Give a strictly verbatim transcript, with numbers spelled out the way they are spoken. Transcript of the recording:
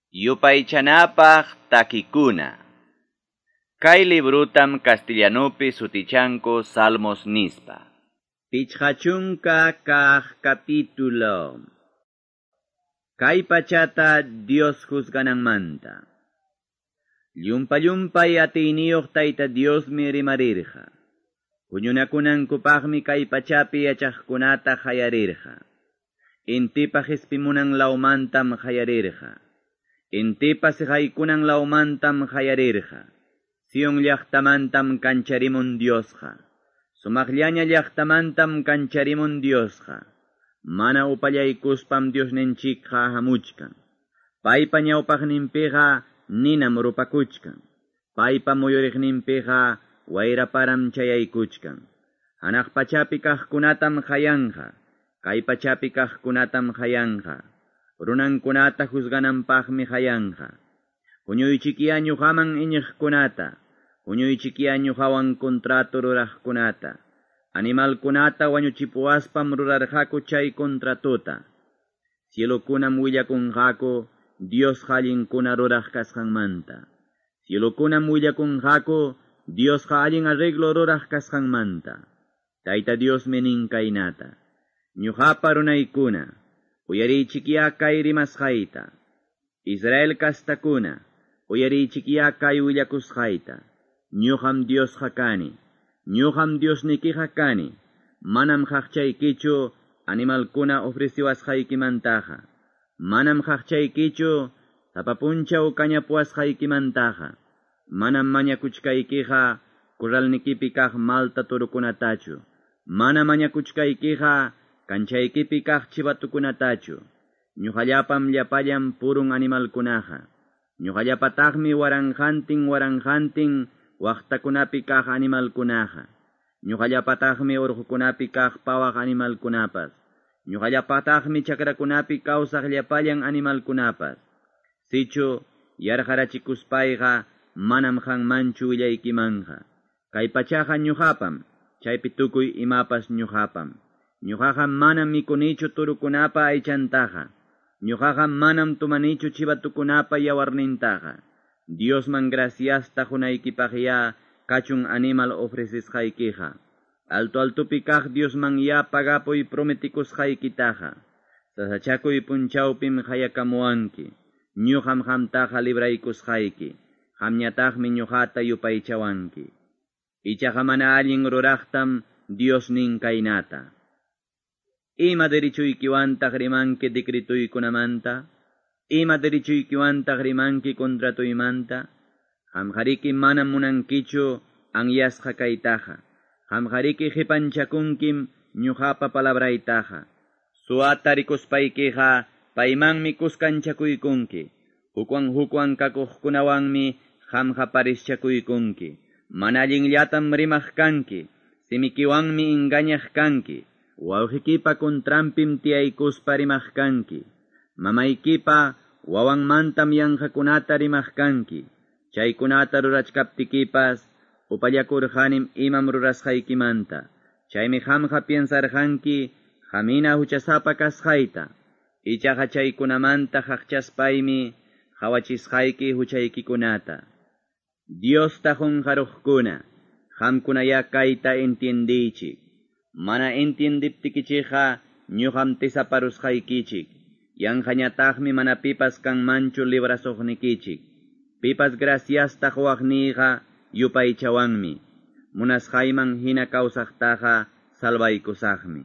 Yupaychanapaq takikuna. Kay librutam castellanupi sutichanku Salmos nispa. Pichqa chunka kaq capítulo. Kay pachata Dios juzgananmanta. Llumpa llumpay atiyniyuq Tayta Diosmi rimarirqa. Huñunakunankupaqmi kay pachapi yachaqkunata qayarirqa. Intipa qispimunan lawmantam qayarirqa. Intipa siqaykunan lawmantam qayarirqa. Sion llaqtamantam kancharimun Diosqa. Sumaqllaña llaqtamantam kancharimun Diosqa. Mana upallaykuspam Diosninchikqa hamuchkan. Paypa ñawpaqninpiqa ninam rupakuchkan. Paypa muyuriqninpiqa wayraparam chayaykuchkan. Hanaq pachapi kaqkunatam qayanqa. Kay pachapi kaqkunatam qayanqa. Runankunata juzgananpaqmi qayanqa. Huñuychikiya ñuqaman iñiqkunata, huñuychikiya ñuqawan contrato ruraqkunata. Animalkunata wañuchipuwaspam rurarqaku chay contratota. Cielokunam willakunqaku Diosqa allinkuna ruraq kasqanmanta. Cielokunam willakunqaku Diosqa allin arreglo ruraq kasqanmanta. Tayta Diosmi nin kaynata. Ñuqapa runaykuna, uyariychikiya kay rimasqayta. Israel kastakuna, uyariychikiya kay willakusqayta. Ñuqam Diosqa kani, ñuqam Diosnikiqa kani, manam qaqchaykichu animalkuna ofreciwasqaykimantaqa. Manam qaqchaykichu sapa punchaw kañapuwasqaykimantaqa. Manam mañakuchkaykiqa corralnikipi kaq malta turukunatachu. Mana mañakuchkaykiqa kanchaykipi kaq chivatukunatachu. Ñuqallapam llapallan purun animalkunaqa. Ñuqallapataqmi waranqantin waranqantin waqtakunapi kaq animalkunaqa. Ñuqallapataqmi urqukunapi kaq pawaq animalkunapas. Ñuqallapataqmi chakrakunapi kawsaq llapallan animalkunapas. Sichu yarqarachikuspayqa manam qanmanchu willaykimanqa. Kay pachaqa ñuqapam, chaypi tukuy imapas ñuqapam. Ñuqaqa manam mikunichu turukunapa aychantaqa. Ñuqaqa manam tumanichu chivatukunapa yawarnintaqa. Diosman graciasta qunaykipaqya kachun animal ofrecisqaykiqa. Alto altupi kaq Diosman ya pagapuy prometikusqaykitaqa. Sasachakuy punchawpim qayakamuwanki. Ñuqam qamtaqa libraykusqayki. Qamñataqmi ñuqata yupaychawanki. Ichaqa mana allin ruraqtam Dios nin kaynata. Ima derechuykiwantaq rimanki decretuykunamanta? Ima derechuykiwantaq rimanki contratuymanta? Qamqariki manam munankichu anyasqa kaytaqa. Qamqariki qipanchakunkim ñuqapa palabraytaqa. Suwata rikuspaykiqa paymanmi kuskanchakuykunki. Hukwan hukwan kakuqkunawanmi qamqa parischakuykunki. Mana allinllatam rimaq kanki, simikiwanmi engañaq kanki. Wawqikipa contranpim tiyaykuspa rimaq kanki. Mamaykipa wawanmantam yanqakunata rimaq kanki. Chaykunata rurachkaptikipas upallakurqanim imam rurasqaykimanta. Chaymi qamqa piensarqanki qamina huchasapa kasqayta. Ichaqa chaykunamanta qaqchaspaymi qhawachisqayki huchaykikunata. Diosta qunqaruqkuna, qamkunaya kayta entiendiychik. Mana entiendiptikichikqa ñuqam tisaparusqaykichik. Yanqañataqmi mana pipas kanmanchu librasuqnikichik. Pipas graciasta quwaqniyqa yupaychawanmi. Munasqayman hina kawsaqtaqa salvaykusaqmi.